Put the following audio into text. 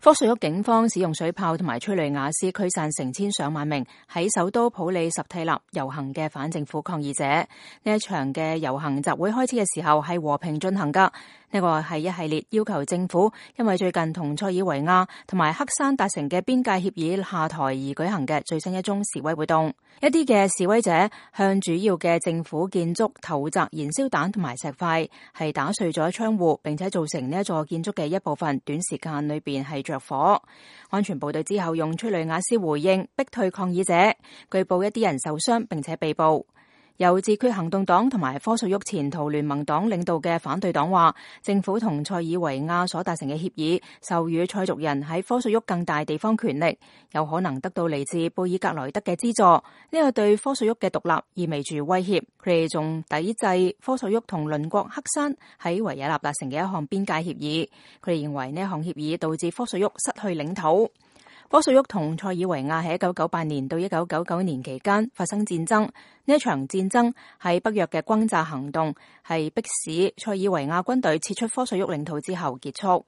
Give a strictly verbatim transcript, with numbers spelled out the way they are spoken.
科索沃警方使用水炮同埋催淚瓦斯驅散成千上萬名喺首都普里什蒂納遊行嘅反政府抗議者。呢一場嘅遊行集會開始嘅時候係和平進行噶。呢個係一系列要求政府因為最近同塞爾維亞同埋黑山達成嘅邊界協議下台而舉行嘅最新一宗示威活動。一啲嘅示威者向主要嘅政府建築投擲燃燒彈同埋石塊，係打碎咗窗戶，並且造成呢一座建築嘅一部分短時間裏邊係着火。安全部隊之後用催淚瓦斯回應，逼退抗議者。據報一啲人受傷並且被捕。由自決行動黨同埋科索沃前途聯盟黨領導嘅反對黨話，政府同塞爾維亞所達成嘅協議，授予塞族人喺科索沃更大地方權力，有可能得到嚟自貝爾格萊德嘅資助。呢個對科索沃嘅獨立意味住威脅。佢哋仲抵制科索沃同鄰國黑山喺維也納達成嘅一項邊界協議。佢哋認為呢一項協議導致科索沃失去領土。科索沃同塞爾維亞喺一九九八年到一九九九年期間發生戰爭，呢一場戰爭喺北約嘅轟炸行動係迫使塞爾維亞軍隊撤出科索沃領土之後結束。